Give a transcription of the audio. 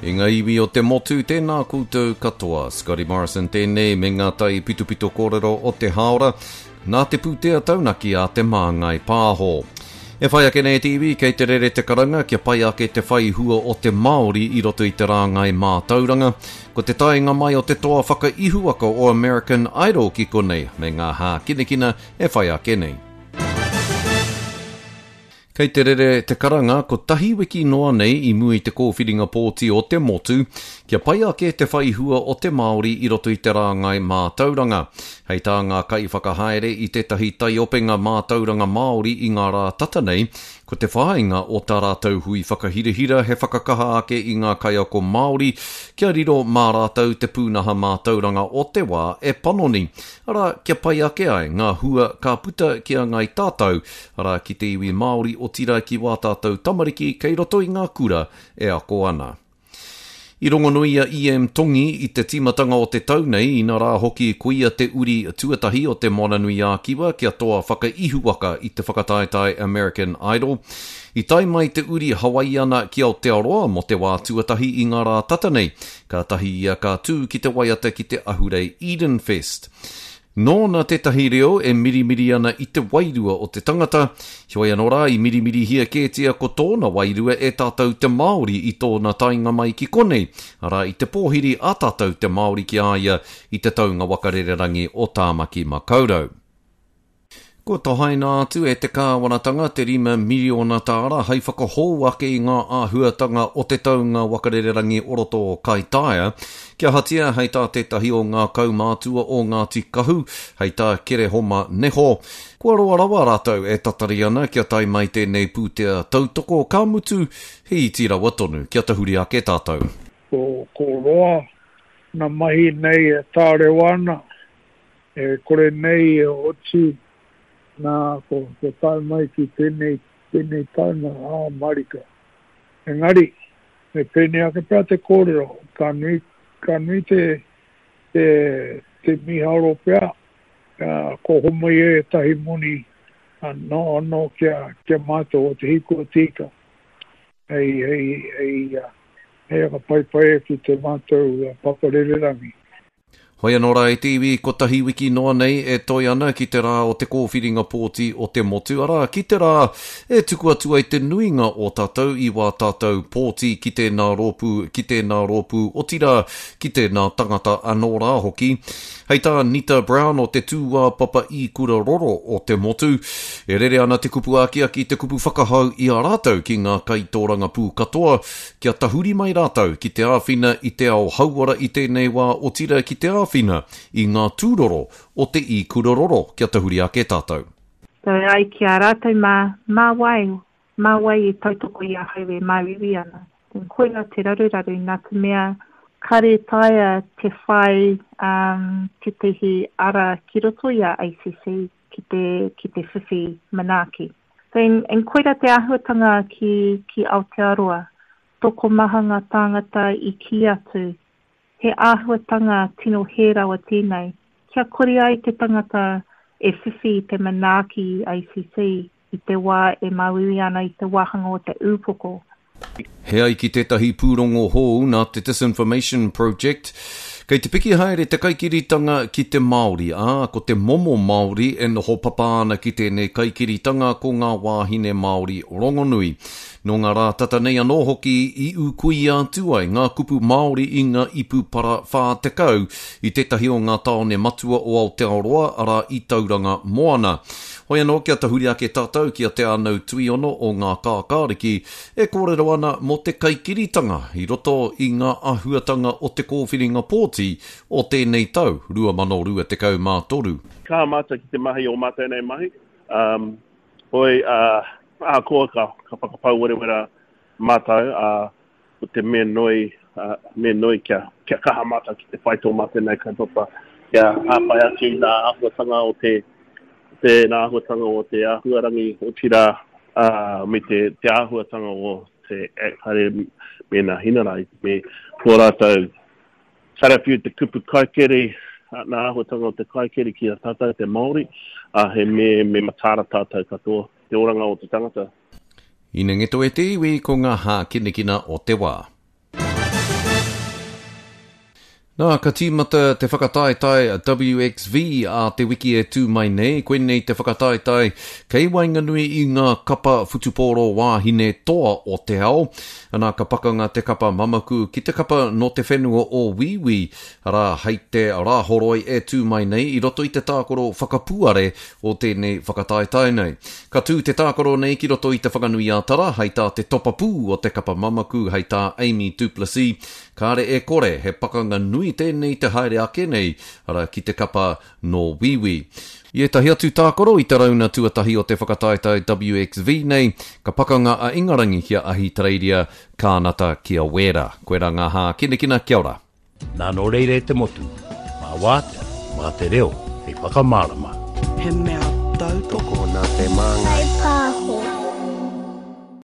E ngā iwi o te motu, tēnā koutou katoa. Scotty Morrison tēnei me ngā tai pitopito kōrero o te hāora, nā te pūtea taunaki a Te Māngai Pāho. E whai ake nei te iwi, kei te rere te karanga kia pai ake te whai hua o te Māori i roto i te rāngai mātauranga. Ko te taenga mai o te toa whakaihuwaka o American Idol ki konei, me ngā hākinakina e whai ake nei. Kei te rere te karanga kotahi wiki noa nei i mua i te kōwhiringa pōti o te motu, kia pai ake te whai hua o te Māori i roto i te rāngai mātauranga. Hei tā ngā kaiwhakahaere i tētahi taiopenga mātauranga Māori i ngā rā tata nei, ko te whāinga o tā rātou hui whakahirahira he whakakaha ake i ngā kaiako Māori kia riro mā rātou te pūnaha mātauranga o te wā e panoni, arā, kia pai ake ai ngā hua ka puta ki a ngāi tātou, arā, ki te iwi Māori, otirā ki wā tātou tamariki kei roto i ngā kura e ako ana. I rongonui a EM Tongi i te tīmatanga o te tau nei, inarā hoki koia te uri tuatahi o Te Moananui-a-Kiwa kia toa whakaihuwaka i te whakataetae American Idol. I tae mai te uri Hawaiiana ki Aotearoa mō te wā tuatahi i ngā rā tata nei, kātahi ia ka tū ki te waiata ki te ahurei Edenfest. Nōna tētahi reo e mirimiri ana i te wairua o te tangata, heoi anō rā i mirimirihia kētia ko tōna wairua e tātou te Māori i tōna taenga mai ki konei, arā i te pōhiri a tātou te Māori ki a ia i te taunga waka rererangi o Tāmaki Makaurau. Kua tohaina atu e te kāwanatanga te 5 miriona tāra hei whakahou ake i ngā āhuatanga o te taunga waka rererangi o roto o Kaitaia, Kia ahatia, hei tā tētahi o ngā kaumātua o Ngāti Kahu, hei tā Kerehoma Neho, kua roa rawa rātou e tatari ana kia tae mai tēnei pūtea tautoko, ka mutu, he iti rawa tonu kia tahuri ake tātou. Ko, ko roa na mahi nei e tārewa ana, e kore nei e oti, na, ko, ko tae mai ki tenei, tenei taunga, ā, marika. Engari, me pēnei ake pea te kōrero, ka nui, ka nui te, te, te mīharo pea, kua homai e ētahi moni anō, anō kia, kia mātou o te hiko o te ika, hei, hei, hei, hei whakapaipai atu te mātou papa rererangi. Hoi anō rā e te iwi, kotahi wiki noa nei e toe ana ki te rā o te kōwhiringa pōti o te motu, arā, ki te rā e tuku atu ai te nuinga o tātou i wā tātou pōti ki tēnā rōpū, ki tēnā rōpū, otirā, ki tēnā tangata anō rā hoki. Hei tā Nita Brown o te tūāpapa ikura roro o te motu, e rere ana te kupu akiaki, te kupu whakahau i a rātou ki ngā kaitōrangapū katoa, Kia tahuri mai rātou ki te āwhina i te ao hauora i tēnei wā otira ki te āwhina i ngā tūroro o te ikura roro kia tahuri ake tātou. So e ai ki a rātou mā, mā wai, mā wai e tautoko i ahau e māuiui ana. Then koina te raruraru nā te mea kare taea te whai um, tētehi ara ki roto i a ACC ki te, ki te whiwhi manaaki. So, and, and koira te āhuatanga ki, ki Aotearoa. Tokomaha ngā tāngata i kī atu, he āhuatanga tino hē rawa tēnei, kia kore ai te tangata e whiwhi i te manaaki i ACC i te wā e māuiui ana i te wāhanga o te ūpoko. He ai ki tētahi pūrongo hou nā te Disinformation Project, kei te piki haere te kaikiritanga ki te Māori, ā, ko te momo Māori e noho papa ana ki tēnei kaikiritanga ko ngā wāhine Māori rongonui. Nō ngā rā tata nei anō hoki i ūkuia atu ai ngā kupu Māori i ngā ipu para 40 i tētahi o ngā tāone matua o Aotearoa, arā i Tauranga Moana. Hoi anō kia tahuri ake tātou ki a Te Ānau Tuiono o Ngā Kākāriki e kōrero ana mō te kaikiritanga i roto i ngā āhuatanga o te kōwhiringa pōti o tēnei tau 2023. Kaha mātou ki te mahi o mātou nei mahi, hoi, ahakoa ka whakapau werewera mātou, Ko te mea nui, mea nui kia, kia kaha mātou ki te whai tō mātou nei kaupapa, kia hāpai atu i ngā āhuatanga o te, te ngā āhuatanga o te āhuarangi, otirā, ā, me te, te āhuatanga o te Act haere me ngā hinarai, me tō rātou karawhiu te kupu kaikiri, ngā āhuatanga o te kaikiri ki a tātou te Māori, ā, he me, me mataara tātou katoa, te oranga o te tangata. Inengeto e te iwi ko ngā hākinakina o te wā. Nā, ka tīmata te whakataetae WXV ā te wiki e tū mai nei, koinei te whakataetae kei waenganui i ngā kapa whutupōro wāhine toa o te ao. Anā, ka pakanga te kapa mamaku ki te kapa nō te whenua o Wīwī, arā, hei te Rāhoroi e tū mai nei i roto i te tākaro whakapuare o tēnei whakataetae nei. Ka tū te tākaro nei ki roto i Te Whanganui-ā-Tara, hei tā te topapū o te kapa mamaku, hei tā Amy Du Plessis, Kāre e kore, he pakanga nui tēnei te haere ake nei, arā, ki te kapa nō Wīwī. I ētahi atu tākaro i te rauna tuatahi o te whakataetae WXV nei, ka pakanga a Ingarangi ki a Ahitereiria, Kānata ki a Wēra. Koirā ngā hākinakina, kia ora. Nā nō reira e te motu, mā wātea, mā te reo hei whakamārama. He mea tautoko. Tokona te māngai.